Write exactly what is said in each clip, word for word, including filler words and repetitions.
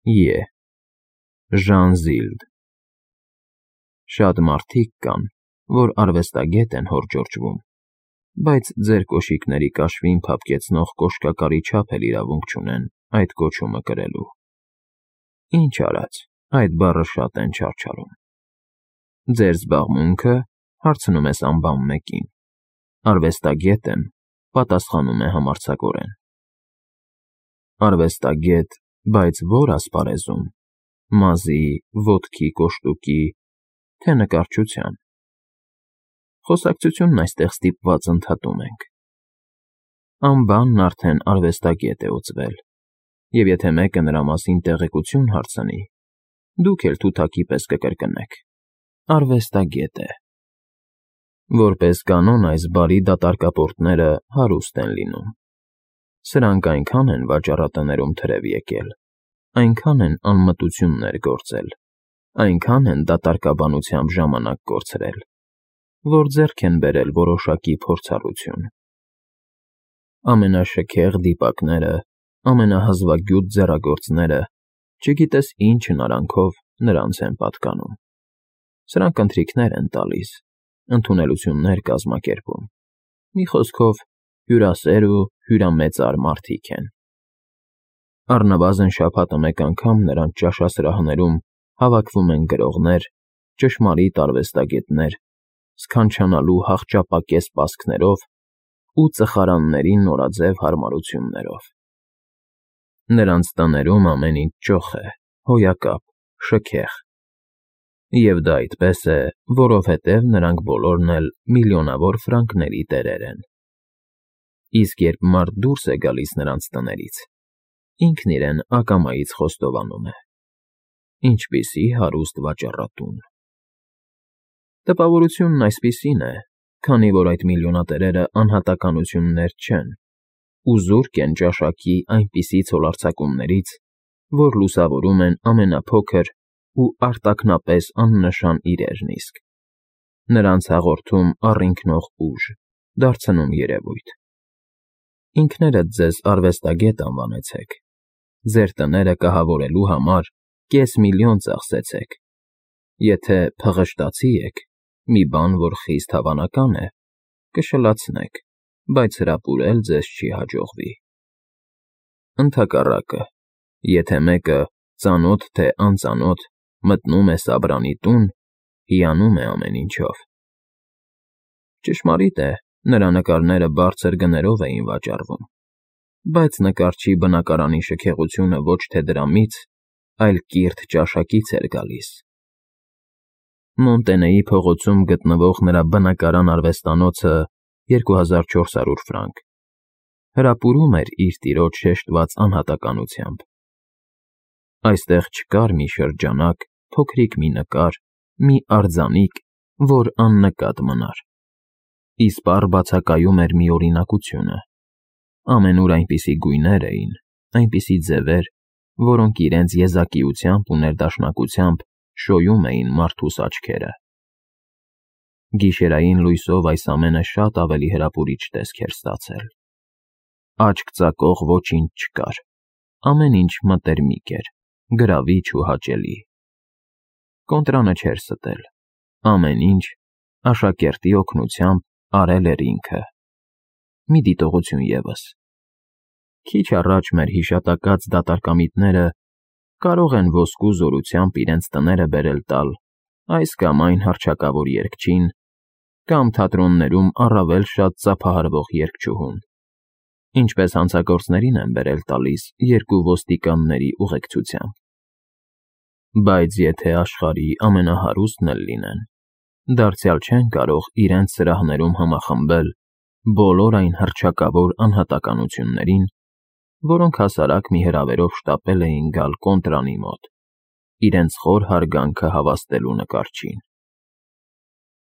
Ե. Ժանզիլդ։ Շատ մարդիկ կան, որ արվեստագետ են հորդորճվում, բայց ձեր կոշիկների կաշվին փափկեցնող կոշկակարի չափ էլ իրավունք չունեն այդ կոչումը կրելու։ Ինչ արած, այդ բառը շատ են չարչարում։ Ձեր զբաղմունքը, հարցնում ես անբան մեկին։ Արվեստագետ եմ, պատասխանում է համարձակորեն։ Արվեստագետ, բայց ո՞ր ասպարեզում, մազի, ոտքի կոշտուկի, թե նկարչության։ Խոսակցությունն այստեղ ստիպված ընդհատում ենք։ Անբանն արդեն արվեստագետ է ուծվել, և եթե մեկը նրա մասին տեղեկություն հարցնի, դուք էլ թութակի պես կկրկնեք. արվեստագետ է։ Որպես կանոն այս բարի դատարկապորտները հարուստ են լինում։ Սրանք այնքան են վաճառատներում թրև եկել, այնքան են անմտություններ գործել, այնքան են դատարկաբանությամբ ժամանակ կորցրել, որ ձեռք են բերել որոշակի փորձառություն։ Ամենաշքեղ դիպակները, ամենահզվագյուտ ձեռագործները, չգիտես ինչ հնարանքով նրանց են պատկանում։ Սրանք ընթրիքներ են տալիս, ընդունելություններ կազմակերպում։ Մի խոսքով, հյուրասեր ու հյուրամեծար մարդիկ են։ Առնվազն շաբաթը մեկ անգամ նրանց ճաշասրահներում հավաքվում են գրողներ, ճշմարիտ արվեստագետներ, սքանչանալու հախճապակես պասկներով ու ծխարանների նորաձև հարմարություններով։ Նրանց տներում ամեն ինչ ճոխ է, հոյակապ, շքեղ։ Եվ դա այդպես է, որովհետև նրանք բոլորն էլ միլիոնավոր ֆրանկների տերեր են։ Իսկ երբ մարդ դուրս է գալիս նրանց տներից, ինքն իրեն ակամայից խոստովանում է. ինչպիսի հարուստ վաճառատուն։ Տպավորությունն այսպիսին է, քանի որ այդ միլիոնատերերը անհատականություններ չեն, ու զուրկ են ճաշակի այնպիսի ցոլարձակումներից, որ լուսավորում են ամենափոքր ու արտաքնապես աննշան իրերն իսկ։ Նրանց հաղորդում առինքնող ուժ, դարձնում երևույթ։ Ինքներդ ձեզ արվեստագետ անվանեցեք, ձեր տները կահավորելու համար կես միլիոն ծախսեցեք։ Եթե փղշտացի եք, մի բան, որ խիստ հավանական է, կշլացնեք, բայց հրապուրել ձեզ չի հաջողվի։ Ընդհակառակը, եթե մեկը, ծանոթ թե անծանոթ, մտնում է Սաբրանի տուն, հիանում է ամեն ինչով։ Ճշմարիտ է, նրա նկարները բարձր գներով էին վաճառվում, բայց նկարչի բնակարանի շքեղությունը ոչ թե դրամից, այլ կիրթ ճաշակից էր գալիս։ Մոնտենեի փողոցում գտնվող նրա բնակարան արվեստանոցը երկու հազար չորս հարյուր ֆրանկ հրապուրում էր իր տիրոջ շեշտված անհատականությամբ։ Այստեղ չկար մի շրջանակ, փոքրիկ մի նկար, մի արձանիկ, որ աննկատ մնար։ Իսպառ բացակայում էր մի օրինակությունը։ Ամենուր այնպիսի գույներ էին, այնպիսի ձևեր, որոնք իրենց եզակիությամբ ու ներդաշնակությամբ շոյում էին մարդուս աչքերը։ Գիշերային լույսով այս ամենը շատ ավելի հրապուրիչ տեսք էր ստացել։ Աչք ծակող ոչինչ չկար, ամեն ինչ մտերմիկ էր, գրավիչ ու հաճելի։ Կոնտրանը չէր ստել, ամեն ինչ աշակերտի օգնությամբ արել էր ինքը։ Մի դիտողություն ևս։ Քիչ առաջ մեր հիշատակած դատարկամիտները կարող են ոսկու զորությամբ իրենց տները բերել տալ այս կամ այն հռչակավոր երգչին կամ թատրոններում առավել շատ ծափահարվող երգչուհուն, ինչպես հանցագործներին են բերել տալիս երկու ոստիկանների ուղեկցությամբ։ Բայց եթե աշխարհի ամենահարուստն էլ լինեն, դարձյալ չեն կարող իրենց սրահներում համախմբել բոլոր այն հռչակավոր անհատականություններին, որոնք հասարակ մի հրավերով շտապել էին գալ կոնտրանի մոտ, իրենց խոր հարգանքը հավաստելու նկարչին։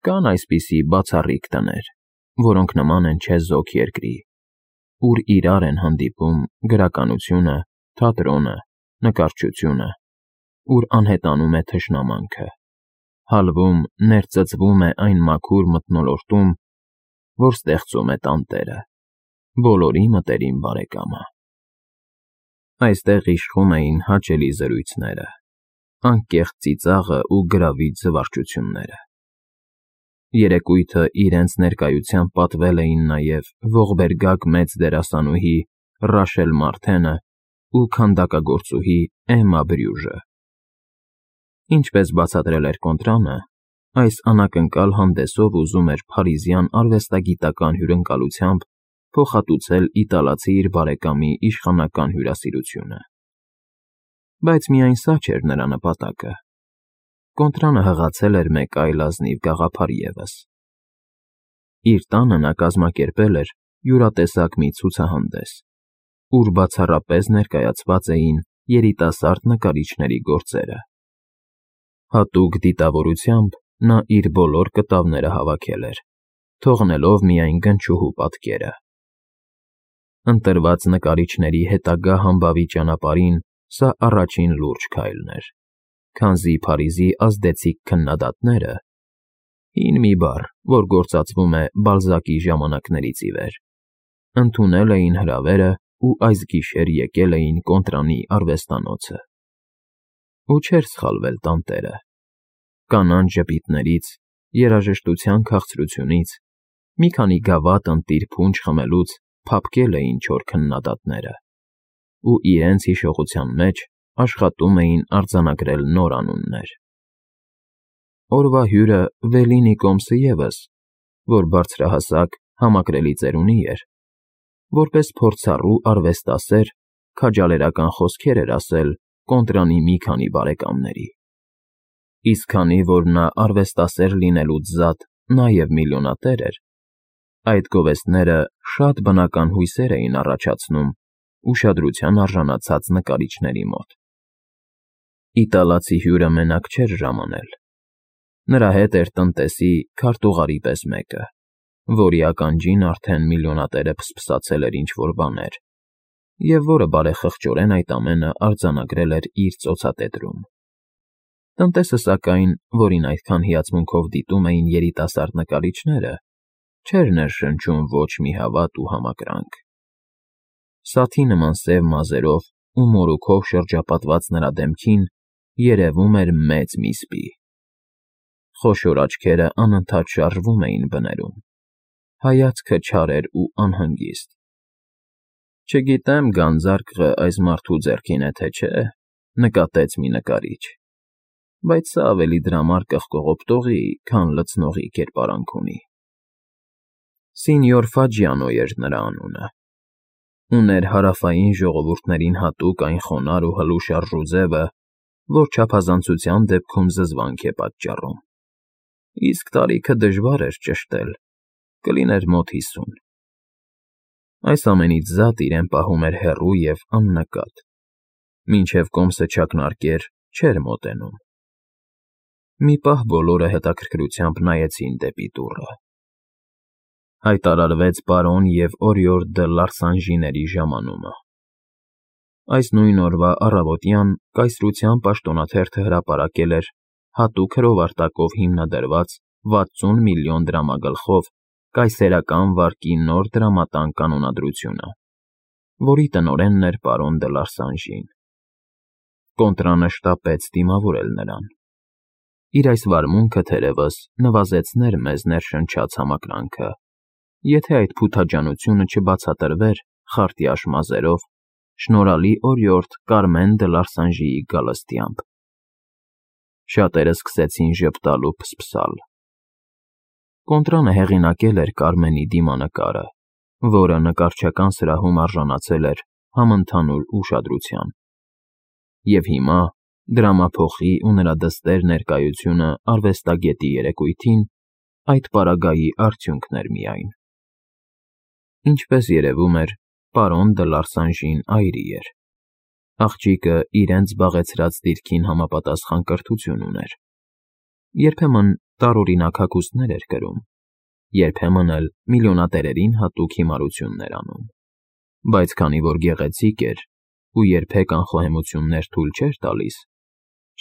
Կան այսպիսի բացառիկ տներ, որոնք նման են չեզոք երկրի, ուր իրար են հանդիպում գրականությունը, թատրոնը, նկարչությունը, ուր անհետանում է թշնամանքը, հալվում, ներծծվում է այն մաքուր մթնոլորտում, որ ստեղծում է տանտերը, բոլորի մտերիմ բարեկամը։ Այստեղ իշխում էին հաճելի զրույցները, անկեղծ ծիծաղը ու գրավիչ զվարճությունները։ Երեկույթը իրենց ներկայությամբ պատվել էին նաև ողբերգակ մեծ դերասանուհի Ռաշել Մարթենը ու քանդակագործուհի Էմմա Բրյուժը։ Ինչպես բացատրել էր Կոնտրանը, այս անակնկալ հանդեսով ուզում էր փարիզյան արվեստագիտական հյուրընկալությամբ փոխհատուցել իտալացի իր բարեկամի իշխանական հյուրասիրությունը։ Բայց միայն սա չէր նրա նպատակը։ Կոնտրանը հղացել էր մեկ այլ ազնիվ գաղափար ևս։ Իր տանը նա կազմակերպել էր յուրատեսակ մի ցուցահանդես, ուր բացառապես ներկայացված էին երիտասարդ նկարիչների գործերը։ Հատուկ դիտավորությամբ նա իր բոլոր կտավները հավաքել էր, թողնելով միայն գնչուհու պատկերը։ Ընտրված նկարիչների հետագա համբավի ճանապարհին սա առաջին լուրջ քայլն էր, քանզի Փարիզի ազդեցիկ քննադատները (հին մի բառ, որ գործածվում է Բալզակի ժամանակներից ի վեր) ընդունել էին հրավերը ու այս գիշեր եկել էին Կոնտրանի արվեստանոցը։ Ու չէր սխալվել տանտերը։ Կանանչ ժպիտներից, երաժշտության քաղցրությունից, մի քանի գավաթ ընտիր փունջ խմելուց փափկել էին չոր քննադատները ու իրենց հիշողության մեջ աշխատում էին արձանագրել նոր անուններ։ Օրվա հյուրը Վելինի կոմսը ևս, որ բարձրահասակ, համակրելի ծերունի էր, որպես փորձառու արվեստասեր քաջալերական խոսքեր էր ասել Կոնտրանի մի քանի բարեկամների։ Իսկ քանի որ նա արվեստասեր լինելուց զատ նաև միլիոնատեր էր, այդ գովեստները շատ բնական հույսեր էին առաջացնում ուշադրության արժանացած նկարիչների մոտ։ Իտալացի հյուրը մենակ չէր ժամանել։ Նրա հետ էր տնտեսի քարտուղարի պես մեկը, որի ականջին արդեն միլիոնատերը փսփսացել էր ինչ-որ բաներ, և որը բարեխղճորեն այդ ամենը արձանագրել էր իր ծոցատետրում։ Տնտեսը, սակայն, որին այդքան հիացմունքով դիտում էին երիտասարդ նկարիչները, չէր ներշնչում ոչ մի հավատ ու համակրանք։ Սաթի նման սև մազերով ու մորուքով շրջապատված նրա դեմքին երևում էր մեծ մի սպի։ Խոշոր աչքերը անընդհատ շարժվում էին բներում, հայացքը չար էր ու անհանգիստ։ «Չգիտեմ գանձարկղը այս մարդու ձեռքին է, թե չէ», նկատեց մի նկարիչ, «բայց սա ավելի դրամար կղկղօպտողի, քան լցնողի կերպարանք ունի»։ Սինյոր Ֆաջիանո էր նրա անունը։ Ուներ հարավային ժողովուրդներին հատուկ այն խոնարհ ու հլուշ ձևը, որ չափազանցության դեպքում զզվանք է պատճառում։ Իսկ տարիքը դժվար էր ճշտել, կլիներ մոտ հիսուն։ Այս ամենից զատ իրեն պահում էր հեռու և աննկատ։ Մինչև կոմսը չակնարկեր, չէր մոտենում։ Մի պահ բոլորը հետաքրքրությամբ նայեցին դեպի դուռը։ Հայտարարվեց պարոն և Օրիոր դը Լարսանժիների ժամանումը։ Այս նույն օրվա առավոտյան կայսրության պաշտոնաթերթը հրապարակել էր հատուկ հրովարտակով հիմնադրված վաթսուն միլիոն դրամագլխով կայսերական վարկի նոր դրամատան կանոնադրությունը, որի տնօրենն էր պարոն դը Լարսանժին։ Կոնտրանը շտապեց դիմավորել նրան։ Իր այս վարմունքը, թերևս, նվազեցներ մեզ ներշնչած համակրանքը, եթե այդ փութաջանությունը չբացատրվեր խարտյաշ մազերով շնորհալի օրիորդ Կարմեն դը Լարսանժիի գալստյամբ։ Շատերը սկսեցին ժպտալ ու փսփսալ։ Կոնտրանը հեղինակել էր Կարմենի դիմանկարը, որը նկարչական սրահում արժանացել էր համընդհանուր ուշադրության։ Եվ հիմա դրամափոխի ու նրա դստեր ներկայությունը արվեստագետի երեկույթին այդ պարագայի արդյունքն էր միայն։ Ինչպես երևում էր, պարոն դը Լարսանժին այրի էր։ Աղջիկը իրենց զբաղեցրած դիրքին համապատասխան կրթություն ուներ։ Երբեմն տարօրինակ հագուստներ էր կրում, երբեմն էլ միլիոնատերերին հատուկ հիմարություններ անում։ Բայց քանի որ գեղեցիկ էր ու երբեք անխոհեմություններ թույլ չէր տալիս,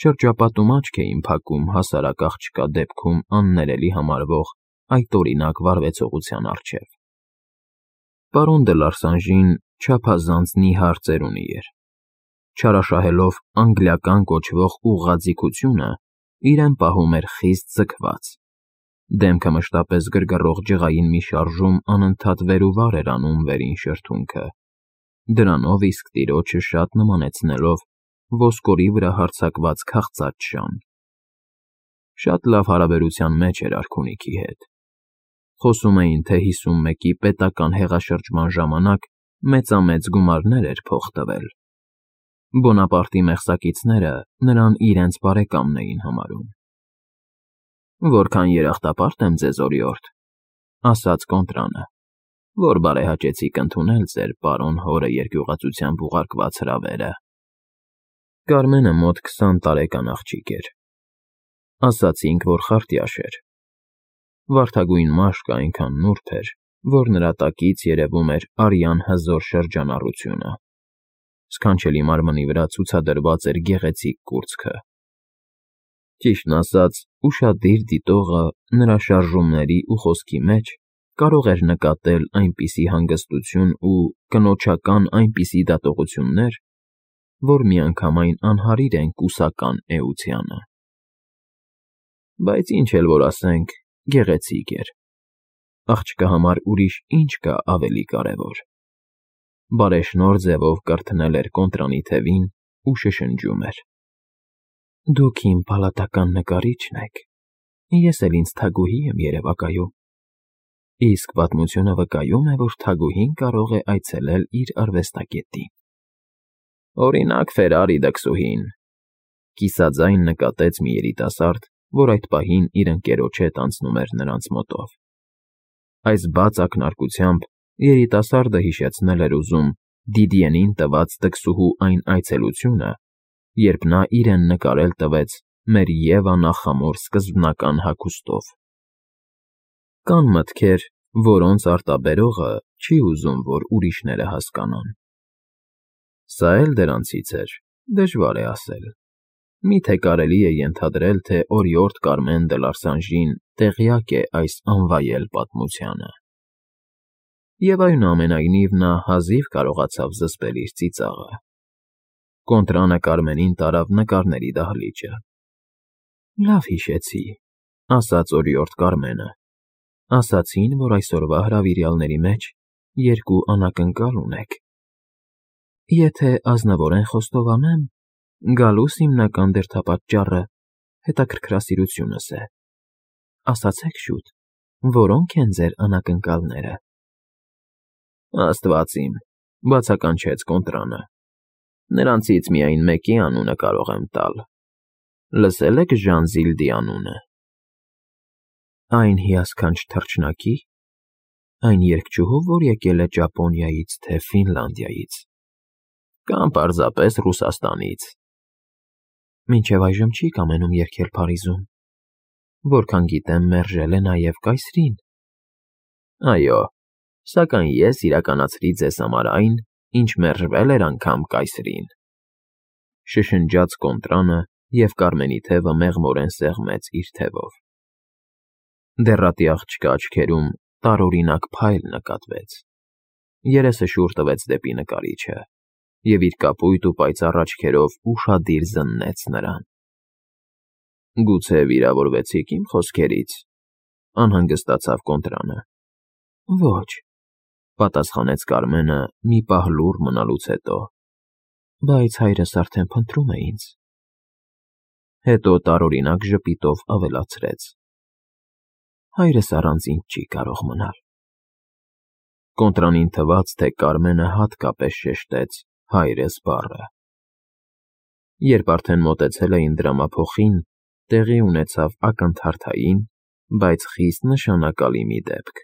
շրջապատում աչք էին փակում հասարակ աղջկա դեպքում աններելի համարվող այդ օրինակ վարվեցողության առջև։ Պարոն դը Լարսանժին չափազանց նիհար ծերունի էր, չարաշահելով անգլիական կոչվող ուղղաձիգությունը, իրեն պահում էր խիստ ձգված, դեմքը մշտապես գրգռող ջղային մի շարժում անընդհատ վեր ու վար էր անում վերին շրթունքը, դրանով իսկ տիրոջը շատ նմանեցնելով ոսկորի վրա հարձակված քաղցած շան։ Շատ լավ հարաբերության մեջ էր արքունիքի հետ։ Խոսում էին, թե հիսունմեկի պետական հեղաշրջման ժամանակ մեծամեծ գումարներ էր փող տվել։ Բոնապարտի մեղսակիցները նրան իրենց բարեկամն էին համարում։ «Որքան երախտապարտ եմ ձեզ, օրիորդ», ասաց Կոնտրանը, «որ բարեհաճեցիք ընդունել ձեր պարոն հորը երկյուղածությամբ ուղարկված հրավերը»։ Կարմենը մոտ քսան տարեկան աղջիկ էր։ Ասացինք, որ խարտյաշ էր։ Վարդագույն մաշկը այնքան նուրբ էր, որ նրա տակից երևում էր արյան հզոր շրջանառությունը։ Սքանչելի մարմնի վրա ցուցադրված էր գեղեցիկ կուրծքը։ Ճիշտն ասած, ուշադիր դիտողը նրա շարժումների ու խոսքի մեջ կարող էր նկատել այնպիսի հանգստություն ու կնոջական այնպիսի դատողություններ, որ միանգամայն անհարիր են կուսական էությանը։ Բայց ինչ էլ որ ասենք, գեղեցիկ էր։ Աղջկա համար ուրիշ ինչ կա ավելի կարևոր։ Բարեշնորհ ձևով կրթնել էր Կոնտրանի թևին ու շշնջում էր. «Դուք իմ պալատական նկարիչն եք, ես էլ ինձ թագուհի եմ երևակայում, իսկ պատմությունը վկայում է, որ թագուհին կարող է այցելել իր արվեստագետին»։ «Օրինակ, Ֆերարի դքսուհին», կիսաձայն նկատեց մի երիտասարդ, որ այդ պահին իր ընկերոջ հետ անցնում էր նրանց մոտով։ Այս բաց ակնարկությամբ երիտասարդը հիշեցնել էր ուզում Դիդիենին տված դքսուհու այն այցելությունը, երբ նա իրեն նկարել տվեց մեր Եվա նախամոր սկզբնական հագուստով։ Կան մտքեր, որոնց արտաբերողը չի ուզում, որ ուրիշները հասկանան։ Սա էլ դրանցից էր, դժվար է ասել։ Միթե կարելի է ենթադրել, թե օրիորդ Կարմեն դը Լարսանժին տեղյակ է այս անվայել պատմությանը։ Եվ այնուամենայնիվ նա հազիվ կարողացավ զսպել իր ծիծաղը։ Կոնտրանը Կարմենին տարավ նկարների դահլիճը։ «Լավ հիշեցի», ասաց օրիորդ Կարմենը։ «Ասացին, որ այսօրվա հրավիրյալների մեջ երկու անակնկալ ունեք։ Եթե ազնվորեն խոստովանեմ, գալուս հիմնական դերդապատճառը հետաքրքրասիրությունս է։ Ասացեք շուտ, որոնք են ձեր անակնկալները»։ «Աստված իմ», բացականչեց Կոնտրանը, «նրանցից միայն մեկի անունը կարող եմ տալ։ Լսե՞լ եք Ժան Զիլդի անունը»։ «Այն հիասքանչ թռչնակի՞, այն երգչուհու, որ եկել է Ճապոնիայից, թե Ֆինլանդիայից։ Կամ պարզապես Ռուսաստանից։ Մինչև այժմ չի կամենում երգել Փարիզում։ Որքան գիտեմ, մերժել է նաև կայսրին»։ «Այո, սակայն ես իրականացրի ձեզ համար այն, ինչ մերժվել էր անգամ կայսրին», շշնջաց Կոնտրանը, և Կարմենի թևը մեղմորեն սեղմեց իր թևով։ Դեռատի աղջկա աչքերում տարօրինակ փայլ նկատվեց։ Երեսը շուռ տվեց դեպի նկարիչը և իր կապույտ ու պայծառ աչքերով ուշադիր զննեց նրան։ «Գուցե վիրավորվեցիք իմ խոսքերից», անհանգստացավ Կոնտրանը։ «Ոչ», պատասխանեց Կարմենը մի պահ լուռ մնալուց հետո, «բայց հայրս արդեն փնտրում է ինձ»։ Հետո տարօրինակ ժպիտով ավելացրեց. «Հայրս առանց ինձ չի կարող մնալ»։ Կոնտրանին թվաց, թե Կարմենը հատկապես շեշտեց «հայրս» բառը։ Երբ արդեն մոտեցել էին դրամափոխին, տեղի ունեցավ ակնթարթային, բայց խիստ նշանակալի մի դեպք։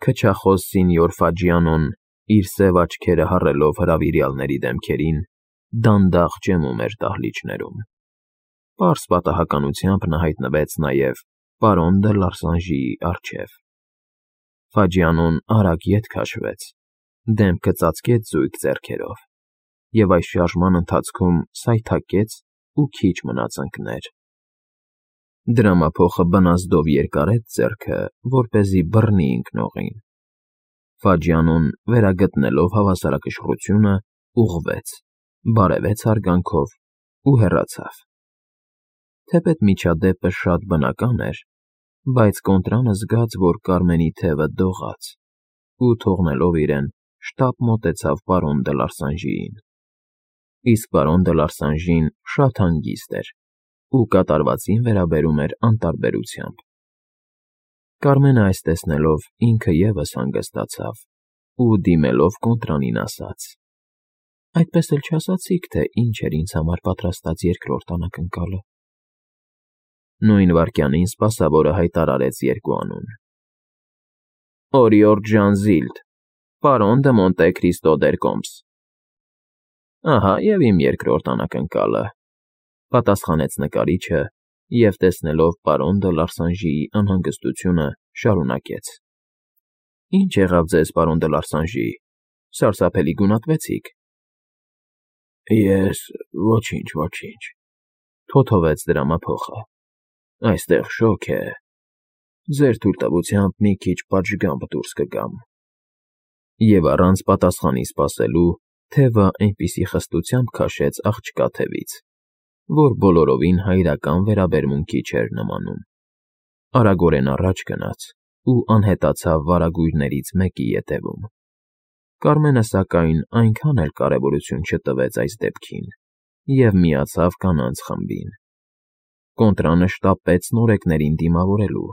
Քչախոս սինյոր Ֆաջիանոն, իր սև աչքերը հառելով հրավիրյալների դեմքերին, դանդաղ ճեմում էր դահլիճներում։ Պարզ պատահականությամբ նա հայտնվեց նաև պարոն դը Լարսանժիի առջև։ Ֆաջիանոն արագ ետ քաշվեց, դեմքը ծածկեց զույգ ձեռքերով, և այս շարժման ընթացքում սայթաքեց ու քիչ մնաց ընկներ։ Դրամափոխը բնազդով երկարեց ձեռքը, որպեսզի բռնի ընկնողին։ Ֆաջիանոն, վերագտնելով հավասարակշռությունը, ուղղվեց բարևեց հարգանքով ու հեռացավ։ Թեպետ միջադեպը շատ բնական էր, բայց Կոնտրանը զգաց, որ Կարմենի թևը դողաց ու, թողնելով իրեն, շտապ մոտեցավ պարոն դը Լարսանժիին։ Իսկ պարոն դը Լարսանժին շատ հանգիստ էր ու կատարվածին վերաբերում էր անտարբերությամբ։ Կարմենը այս տեսնելով ինքը ևս հանգստացավ ու, դիմելով Կոնտրանին, ասաց. «Այդպես էլ չասացիք, թե ինչ էր ինձ համար պատրաստած երկրորդ անակնկալը»։ Նույն վայրկյանին սպասավորը հայտարարեց երկու անուն. «Օրիորդ Ժանզիլդ, պարոն դը Մոնտե Քրիստո դեր Կոմս»։ Ահա և իմ երկրորդ անակնկալը,֊ պատասխանեց նկարիչը և, տեսնելով պարոն դը Լարսանժիի անհանգստությունը, շարունակեց. «Ի՞նչ եղավ ձեզ, պարոն դը Լարսանժի, սարսափելի գունատվեցիք»։ Ես… ոչինչ, ոչինչ,֊ թոթովեց դրամափոխը, այստեղ շոգ է… ձեր թույլտվությամբ մի քիչ պատշգամբ դուրս կգամ… Եվ առանց պատասխանի սպասելու թևը այնպիսի խստությամբ քաշեց աղջկա թևից, որ բոլորովին հայրական վերաբերմունքի չէր նմանում, արագորեն առաջ գնաց ու անհետացավ վարագույրներից մեկի ետևում։ Կարմենը, սակայն, այնքան էլ կարևորություն չտվեց այս դեպքին և միացավ կանանց խմբին։ Կոնտրանը շտապեց նորեկներին դիմավորելու,